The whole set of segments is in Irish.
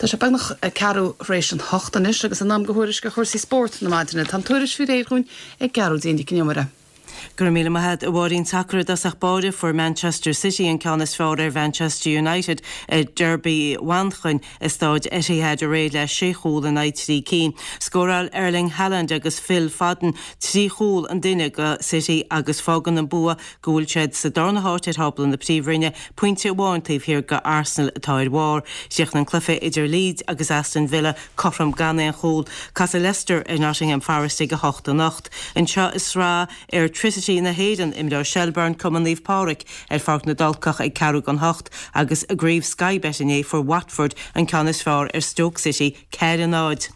Tá sé beagnach ceathrú tar éis an hocht anois agus in am do thuairisc ar chúrsaí spóirt na maidine. Tá an tuairisc faoi réir dhúinn ag Gearóidín Nic an Iomaire. Go raibh míle maith agat, a Mháirín. Sacar i dtosach báire, fuair Manchester City an ceann is fearr ar Mhanchester United i Derby Mhanchain i Stáid Etihad aréir le sé chúl in aghaidh trí cinn. Scóráil Erling Haaland agus Phil Foden trí chúl an duine do City agus fágann an bua go bhfuil siad sa darna háit ar thábla na Príomhroinne, pointe amháin taobh thiar de Arsenal atá ar bharr. Chríochnaigh an cluiche idir Leeds agus Aston Villa cothrom gan aon chúl. Casfaidh Leicester ar Nottingham Forest ag 8 anocht. Anseo i Sraith Airtricity na hÉireann, imreoidh Shelbourne Cumann Naomh Pádraig ar Pháirc na dTulcach ag ceathrú don hocht agus i gCraobh Sky Bet inné fuair Watford an ceann is fearr ar Stoke City, 4-0.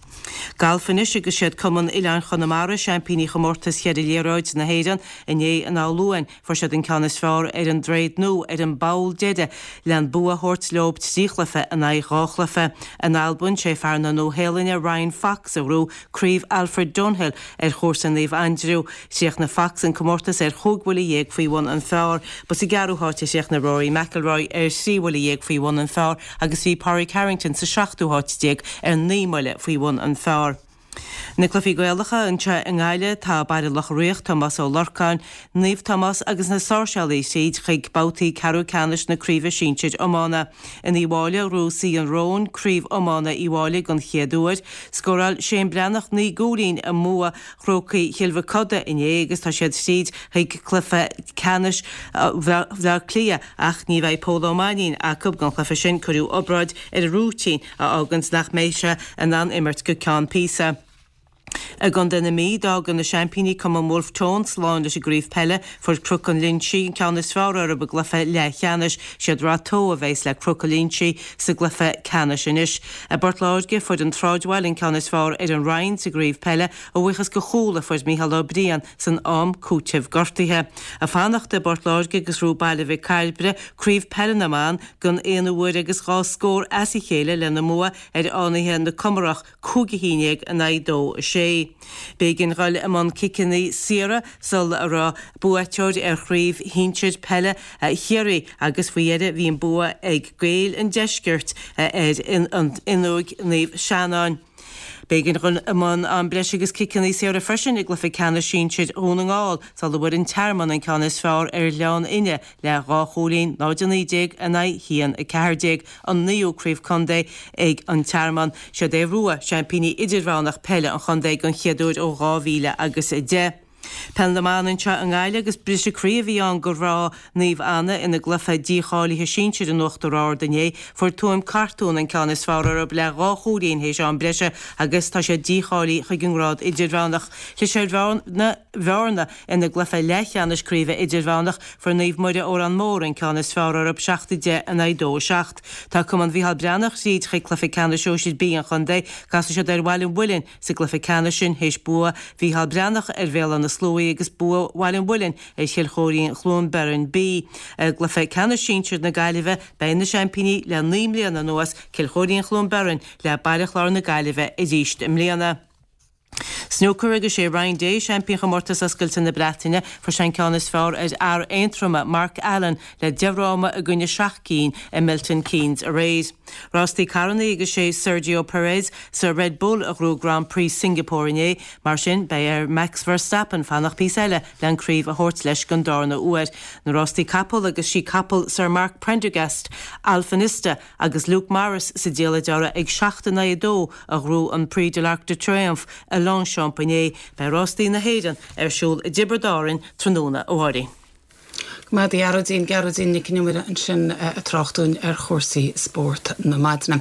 Galf anois agus siad Cumann Oileáin Chonamara seaimpíní chomórtas cheithre liathróid na hÉireann inné in Áth Luain. Fuair siad an ceann is fearr ar an Droichead Nua ar an bpoll deiridh le an bua a thabhairt leo trí chluiche in aghaidh dhá chluiche. In Albain, sé fear na Nua-Shéalainne Ryan Fox a ghnóthaigh Craobh Alfred Dunhill ar chúrsa Naomh Aindriú. Chríochnaigh Fox an comórtas ar chúig bhuille dhéag faoi bhun an phar. Ba sa gceathrú háit a chríochnaigh Rory McIlroy ar thrí bhuille dhéag faoi bhun an phar agus bhí Pádraig Harrington sa seachtú háit déag ar naoi mbuille faoi bhun an phar. Na cluichí Gaelacha anseo i nGaillimh, tá Baile Locha Riach, Tomás Ó Lorcáin, Naomh Tomás agus na Sáirséalaigh tríd chuig babhtaí ceathrú ceannais na Craoibhe Sinsir Iomána. In Uíbh Fhailí, ghnóthaigh Suí an Róin Craobh Iomána Uíbh Fhailí den chéad uair. Scóráil Shane Breathnach 9 gcúilín i mbua Chrócaigh Chill Mhochuda inné agus tá siad tríd chuig cluiche ceannais Bhaile Átha Cliath ach ní bheidh Pól Ó Mainnín acu don chluiche sin, cuireadh obráid ar a rúitín a fháganns nach mbeidh sé in ann imirt go ceann píosa. I gContae na Mí, d'fhága na seaimpíní Cumann Wolfe Tone slán leis an gcraobh peile. Fuair Cnoc an Linsigh an ceann is fearr orthu i gcluiche leathcheannais. Siad Rath Tó a bheas le Cnoc an Linsigh sa gcluiche ceannais anois. I bPort Láirge, fuair an Sráidbhaile an ceann is fearr ar an Rinn sa gcraobh peile, a bhuíochas do chúl a fuair Mícheál Ó Briain san am cúitimh gortaithe. Ag fanacht i bPort Láirge agus ghnóthaigh Baile Mhic Cairbre craobh peile na mban don aonú huair agus dhá scór as a chéile lena mbua ar Fhánaithe na Comarach, 5-11 in aghaidh 2, 6. B'éigean dhul i mbun ciceanna saora sula raibh buaiteoir ar chraobh shinsir peile Chiarraí agus faoi dheireadh bhí an bua ag Gaeil an Deiscirt ar Fhionnúig Naomh Seanáin. B'éigean dhul i mbun am breise agus ciceanna saora freisin i gcluiche ceannais sinsir Dhún na nGall sula bhfuair an Tearmann an ceann is fearr ar Ghleann Fhinne le dhá chúilín, 0-19 in aghaidh 1-14, an naoú craobh contae ag an Tearmann. Siad Aodh Rua seaimpíní idirmheánach peile an chontae den chéad uair ó 2010. Peil na mBan anseo i nGaillimh agus briseadh croí a bhí ann do mhná Naomh Anna ina gcluiche dícháilithe sinsir in Uachtar Ard inné. Fuair Tuaim Cartún an ceann is fearr orthu le dhá chúilín théis am breise agus tá siad dícháilithe chuig an ngrád idirmheánach. Chlis ar Bhearna ina gcluiche leathcheannais craoibhe idirmheánach, fuair Naomh Muire Órán Mór an ceann is fearr orthu 7-10 in aghaidh 2-7. Tá Cumann Mhícheál Breathnach tríd chuig cluiche ceannais sóisir B an chontae. Casfaidh siad ar Bhaile an Mhuilinn sa gcluiche ceannais sin théis bua Mhícheál Breathnach ar Bhéal Átha na Sluaighe agus bua Bhaile an Mhuilinn ar Chill Chóirín Chluain Bheirn B. I gcluiche ceannais sinsir na Gaillimhe beidh na seaimpíní le 9 mbliana anuas, Cill Chóirín Chluain Bheirn le Baile Chláir na Gaillimhe arís i mbliana. Snúcar agus sé Ryan Day seaimpín Chomórtas Oscailte na Breataine. Fuair sé an ceann is fearr ar fhear Aontroma, Mark Allen, le 10 fhráma i gcoinne 7 gcinn i Milton Keynes aréir. Rástaí carrannaí agus sé Sergio Perez sa Red Bull a ghnóthaigh Grand Prix Singapore inné. Mar sin, beidh ar Max Verstappen fanacht píosa eile le an craobh a thabhairt leis don darna huair. Na rástaí capall agus sí capall Sir Mark Prendergast, Alpinista, Agus Luke Morris sa diallait orthu ag 7 in aghaidh 2 a ghnóthaigh an Prix de l'Arc de Triomphe i Longchamp inné, beidh rástaí na hÉireann ar siúl i dTiobraid Árann tráthnóna, a Mháirín. Go maith a Ghearóidín, Gearóidín Nic an Iomaire ansin ag trácht dúinn ar chúrsaí spóirt na maidine.